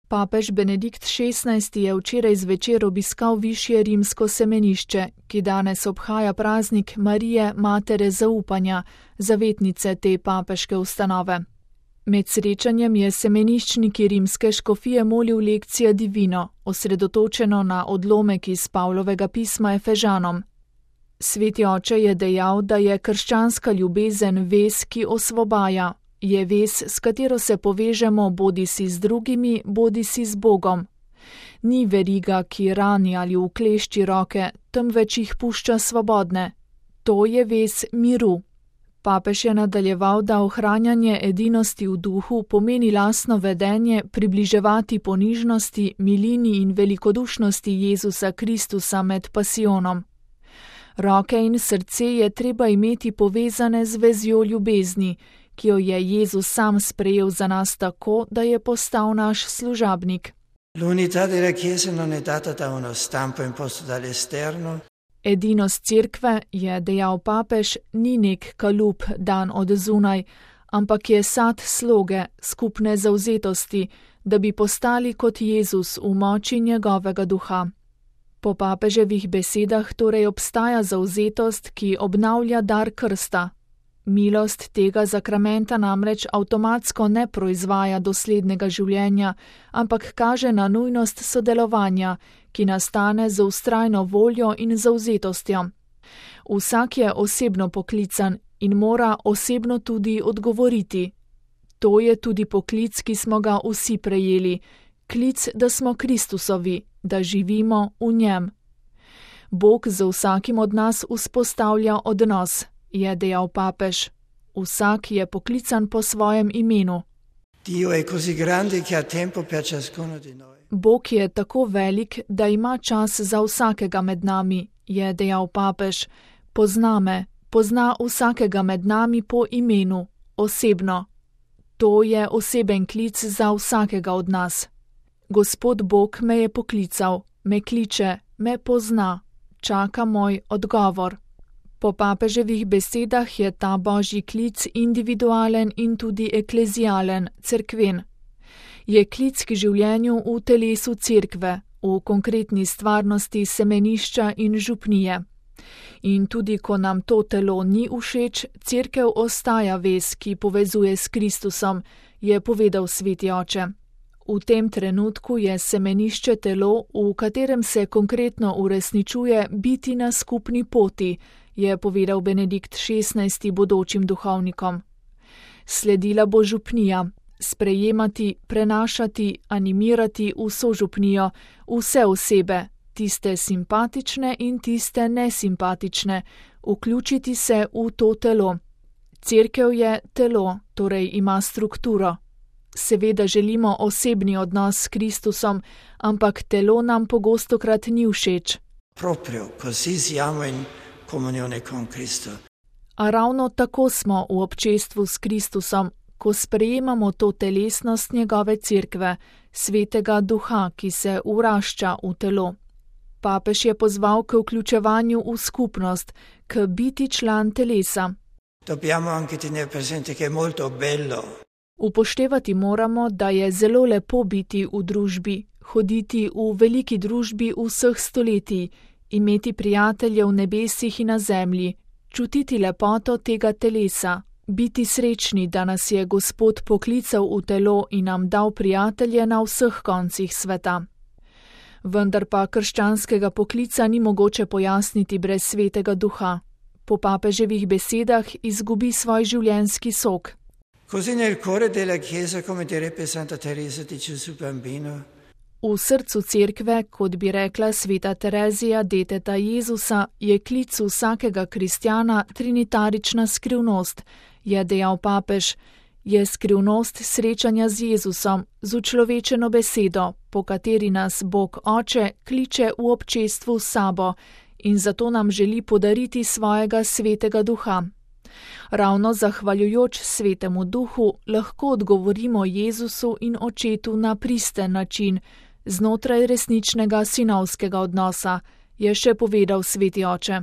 Papež Benedikt XVI je včeraj zvečer obiskal višje rimsko semenišče, ki danes obhaja praznik Marije, matere zaupanja, zavetnice te papeške ustanove. Med srečanjem je semeniščniki rimske škofije molil lekcija divino, osredotočeno na odlomek iz Pavlovega pisma Efežanom. Sveti oče je dejal, da je krščanska ljubezen vez, ki osvobaja, je vez, s katero se povežemo bodisi z drugimi, bodisi z Bogom. Ni veriga, ki rani ali uklešči roke, temveč jih pušča svobodne. To je vez miru. Papež je nadaljeval, da ohranjanje edinosti v duhu pomeni lastno vedenje približevati ponižnosti, milini in velikodušnosti Jezusa Kristusa med pasijonom. Roke in srce je treba imeti povezane z vezjo ljubezni, ki jo je Jezus sam sprejel za nas tako, da je postal naš služabnik. Edinost cerkve, je dejal papež, ni nek kalup dan od zunaj, ampak je sad sloge, skupne zavzetosti, da bi postali kot Jezus v moči njegovega duha. Po papeževih besedah torej obstaja zavzetost, ki obnavlja dar krsta. Milost tega zakramenta namreč avtomatsko ne proizvaja doslednega življenja, ampak kaže na nujnost sodelovanja, ki nastane z vztrajno voljo in zavzetostjo. Vsak je osebno poklican in mora osebno tudi odgovoriti. To je tudi poklic, ki smo ga vsi prejeli, klic, da smo Kristusovi, da živimo v njem. Bog z vsakim od nas vzpostavlja odnos, je dejal papež. Vsak je poklican po svojem imenu. Bog je tako velik, da ima čas za vsakega med nami, je dejal papež. Pozna me, pozna vsakega med nami po imenu, osebno. To je oseben klic za vsakega od nas. Gospod Bog me je poklical, me kliče, me pozna, čaka moj odgovor. Po papeževih besedah je ta božji klic individualen in tudi eklezialen, cerkven. Je klic k življenju v telesu cerkve, v konkretni stvarnosti semenišča in župnije. In tudi ko nam to telo ni všeč, cerkev ostaja vez, ki povezuje s Kristusom, je povedal sveti oče. V tem trenutku je semenišče telo, v katerem se konkretno uresničuje biti na skupni poti, je povedal Benedikt XVI bodočim duhovnikom. Sledila bo župnija, sprejemati, prenašati, animirati vso župnijo, vse osebe, tiste simpatične in tiste nesimpatične, vključiti se v to telo. Cerkev je telo, torej ima strukturo. Seveda želimo osebni odnos s Kristusom, ampak telo nam pogostokrat ni všeč. A ravno tako smo v občestvu s Kristusom, ko sprejemamo to telesnost njegove cerkve, svetega duha, ki se vrašča v telo. Papež je pozval k vključevanju v skupnost, k biti član telesa. Upoštevati moramo, da je zelo lepo biti v družbi, hoditi v veliki družbi vseh stoletij, imeti prijatelje v nebesih in na zemlji, čutiti lepoto tega telesa, biti srečni, da nas je Gospod poklical v telo in nam dal prijatelje na vseh koncih sveta. Vendar pa krščanskega poklica ni mogoče pojasniti brez svetega duha. Po papeževih besedah izgubi svoj življenjski sok. V srcu cerkve, kot bi rekla sveta Terezija, deteta Jezusa, je klic vsakega kristjana trinitarična skrivnost, je dejal papež. Je skrivnost srečanja z Jezusom, z učlovečeno besedo, po kateri nas Bog Oče kliče v občestvu s sabo in zato nam želi podariti svojega svetega duha. Ravno zahvaljujoč svetemu duhu lahko odgovorimo Jezusu in Očetu na pristen način, znotraj resničnega sinovskega odnosa, je še povedal sveti oče.